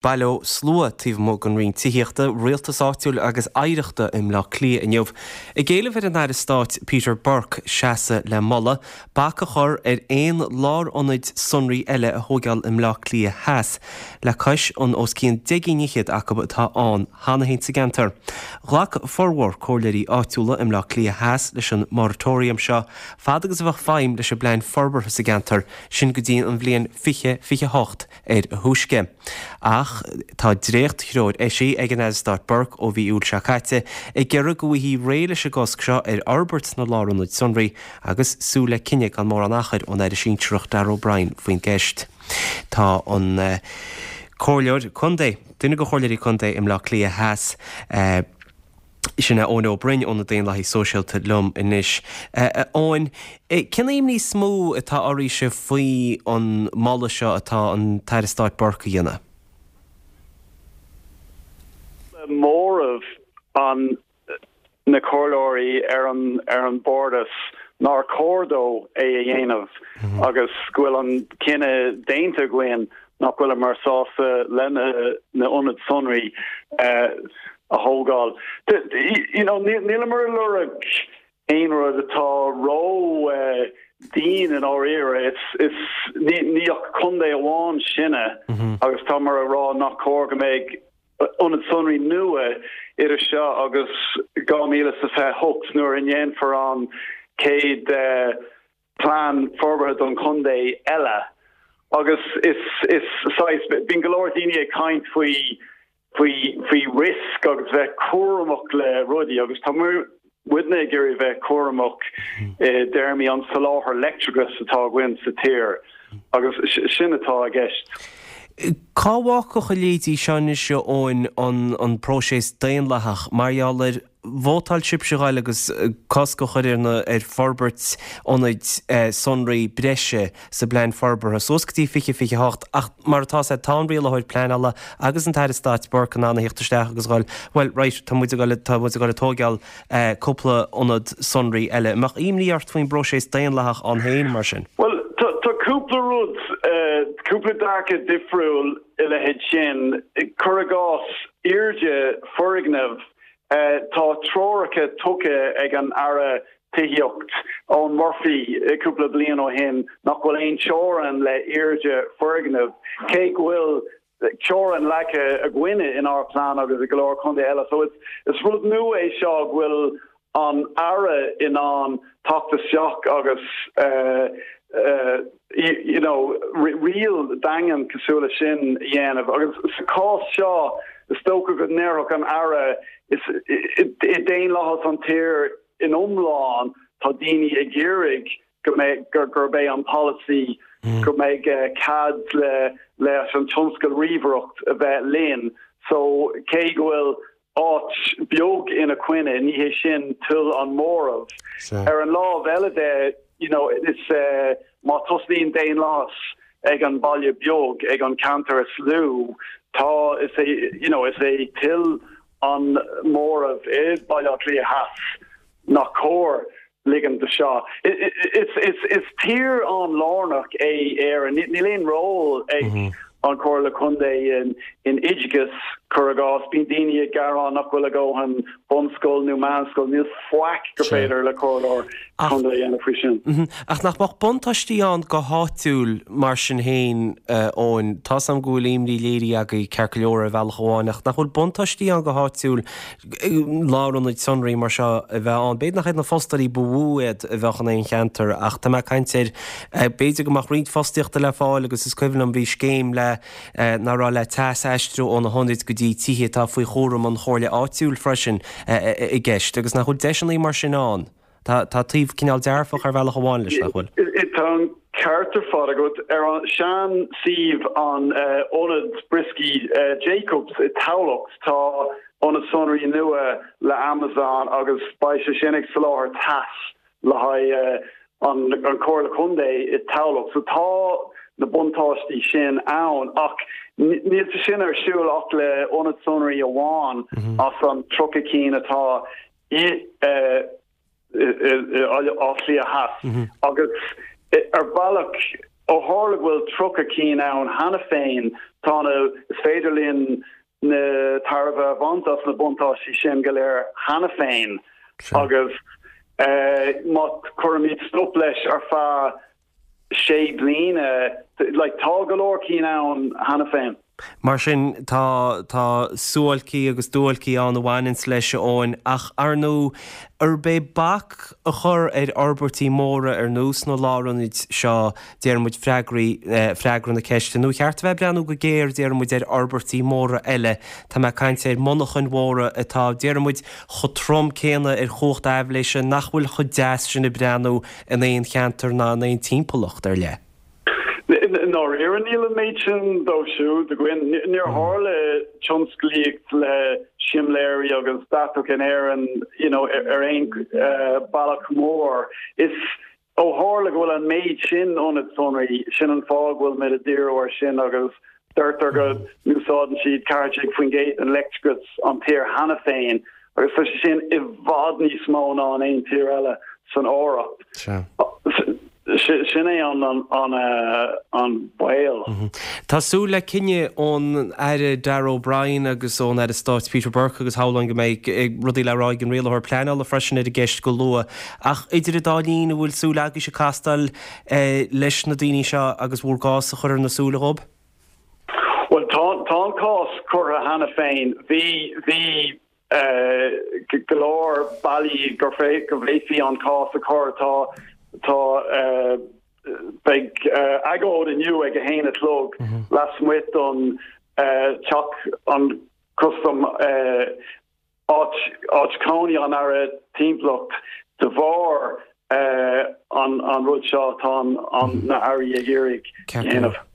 Bailíodh slua taobh amuigh den Roinn Tithíochta, Rialtais Áitiúil agus Oidhreachta i mBleá Cliath inniu ag éileamh ar an Aire Stáit Peter Burke seasamh le moladh bac a chur ar aon lárionaid sonraí eile a thóigeáil i mBleá Cliath Theas, le cois an os cionn 10 gcinn fhichead acu atá ann cheana féin sa gceantar. Ghlac formhór comhairleoirí áitiúla i mBleá Cliath Theas leis an moratorium seo fad agus a bheadh feidhm leis an bplean forbartha sa gceantar, sin go dtí an bhliain 2028. ar a thúisce. Ach tá dréacht-threoir eisithe ag an Aire Stáit Burke ó mhí Iúil seo caite ag iarraidh go bhfaighfí réidh leis an gcosc seo ar fhorbairt na lárionad sonraí agus súil le cinneadh gan mórán achair ón Aire Sinsearach Darragh O'Brien faoin gceist. Tá an Comhairleoir Contae, duine de Chomhairleoirí Contae i mBleá Cliath Theas, Sin é Eoin Ó Broin ó na Daonlathaigh Sóisialta liom anois. A Eoin, cén imní is mó atá oraibhse faoi an moladh seo atá an tAire Stáit Burke a dhéanamh? Móramh an na comhairleoirí ar an ar an Bhardas nár chóir dó é a dhéanamh agus go bhfuil an cinneadh déanta againn nach bhfuileamar sásta le na na ionaid sonraí a thógáil. You know, níleamar ag lorg aon rud atá ró dian i ndáiríre. Is ní ach contae amháin sinne agus táimid ag rá nach cóir go mbeidh ionad sonraí nua idir seo agus 2028 nuair a ndéanfar an chéad plean forbartha don chontae eile agus is is saghas bíonn go leor daoine ag caint faoi faoi faoi risk agus bheith cúramach le rudaí agus tá muidne ag iarraidh bheith cúramach i dtéarmaí an soláthar leictreachais atá againn sa tír agus sin atá i gceist. Cá bhfágfadh a leithéidí seo anois a Eoin an an próiseas daonlathach mar gheall ar Vótáil sibhse a ghoil agus cosc a chur ar na ar forbairt ionaid sonraí breise sa bplean forbartha suas go dtí 2028 ach mar atá sé tá an rialaitheoir pleanála agus an tAire Stáit Burke in ann a theacht isteach agus a ghoil bhuel right tá muid ag goil tá muid ag goil ag tóigeáil cúpla ionad sonraí eile. An mbeadh imní ort faoin bpróiseas daonlathach ann féin mar sin? Bhuel tá tá cúpla rud cúpla dearcadh difriúil i leithéid sin. Cuir i gcás airde foirgneamh Tá treoracha tugtha ag an Aire Tithíocht, Eoghan Murphy, cúpla bliain ó shin nach bhfuil aon teorainn le airde foirgneamh, cé go bhfuil teorainn leagtha againne inár bplean agus i go leor contae eile. So is rud nua é seo go bhfuil an Aire in ann teacht isteach agus you know, riail daingean cosúil le sin a dhéanamh. Agus sa chás seo, is dócha go ndéarfadh an Aire, is i daonlathas an tír in iomlán, tá daoine ag iarraidh go mbeidh, gurb é an polasaí go mbeidh cead le leis an tionscal ríomhaireacht a bheith linn. So cé go bhfuil áit beag ina coinne, ní hé sin toil an móramh. Ar an lámh eile de, you know, is má tosnaíonn daonlathas ag an baile beag, ag an ceantar is lú, tá, is é, you know, is é toil an móramh i Baile Átha Cliath Theas nach cóir ligean do seo. Is tír an-lárnach é Éire. Níl aon ról ag an Chomhairle Contae in oideachas, cuir i gcás. Bíonn daoine ag gearán nach bhfuil a dhóthain bunscoil nó meánscoil. Níl faic gur féidir le comhairleoir contae a dhéanamh faoi sin. Ach nach mbeadh buntáistí ann go háitiúil mar sin féin, Eoin? Tá's agam go bhfuil imní léirithe agaibh ceart go leor ar bhealach amháin, ach nach bhfuil buntáistí ann go háitiúil lárionaid sonraí mar seo a bheith ann. B'fhéidir nach iad na fostóirí ba mhó iad a bheadh in aon cheantar ach tá mé ag caint ar b'fhéidir go mbeadh roinnt fostaíochta le fáil agus is cuimhin liom bhí scéim le ná raibh le teas a aistriú ó na hionaid go dtí tithe atá faoi chúram an chomhairle áitiúil freisin i gceist agus nach bhfuil deiseanna mar sin ann. Tá taobh cineál dearfach ar bhealach amháin leis, nach bhfuil? Tá an ceart ar fad agat. Ar an sean suíomh an ionad brioscaí Jacobs i Tamhlacht tá ionad sonraí nua le Amazon agus beidh sé sin ag soláthar teas le haghaidh an Chomhairle Contae i Tamhlacht. So tá na buntáistí sin ann ach níl sé sin ar siúl ach le ionad sonraí amháin as an 30 cinn atá i Áth Cliath Theas agus ar bhealach. Ó tharla go bhfuil 30 cinn ann cheana féin, tá na, is féidir linn na tairbhe a bhaint as na buntáistí sin go léir cheana féin agus má chuirimid stop leis ar feadh sé bliana, like, tá go leor cinn ann cheana féin. Mar sin, tá, tá suáilcí agus duáilcí ann a bhaineanns leis, a Eoin, ach ar ndóigh, arb é bac a chur ar fhorbairtí móra ar nós na lárionaid seo, déarfaidh muid, freagraí, freagra na ceiste, nó ar cheart a bheith ag breathnú go géar, déarfaidh muid, ar fhorbairtí móra eile, tá mé ag caint ar mhonarchain mhóra atá, déarfaidh muid, chomh trom céanna ar chumhacht aibhléise, nach bhfuil chomh deas sin ag breathnú in aon cheantar ná in aon timpeallacht ar leith. I ndáiríre níl an méid sin dóibh siúd againn. Níor tharla tionsclaíocht le simléirí agus deatach in Éirinn you know ar aon bealach mór. Is ó tharla go bhfuil an méid sin ionad sonraí, sin an fáth go bhfuil muid ag díriú air sin agus deirtear go n-úsáideann siad 14% den leictreachas an tír cheana féin Agus tá sé sin i bhfad níos mó ná in aon tír eile san Eoraip. Sin é an baol. Tá súil le cinneadh ón Aire Darragh O'Brien agus ón Aire Stáit Peter Burke agus shamhlóinn go mbeidh rudaí le rá ag an Rialaitheoir Pleanála freisin ar an gceist go luath. Ach idir an dá linn, an bhfuil súil agaibhse castáil leis na daoine seo agus bhur gcás a chur ar na súile dhóibh? Bhuel, tá an cás curtha cheana féin. Bhí, bhí go leor bealaí go bhféadfaí an cás a chur. Tá, tá, beidh agóid inniu ag a haon a chlog lasmuigh don teach an custam, áit, áit cónaí an Aire Timpeallacht de bharr an, an rud seo atá an, na hAirí ag iarraidh dhéanamh.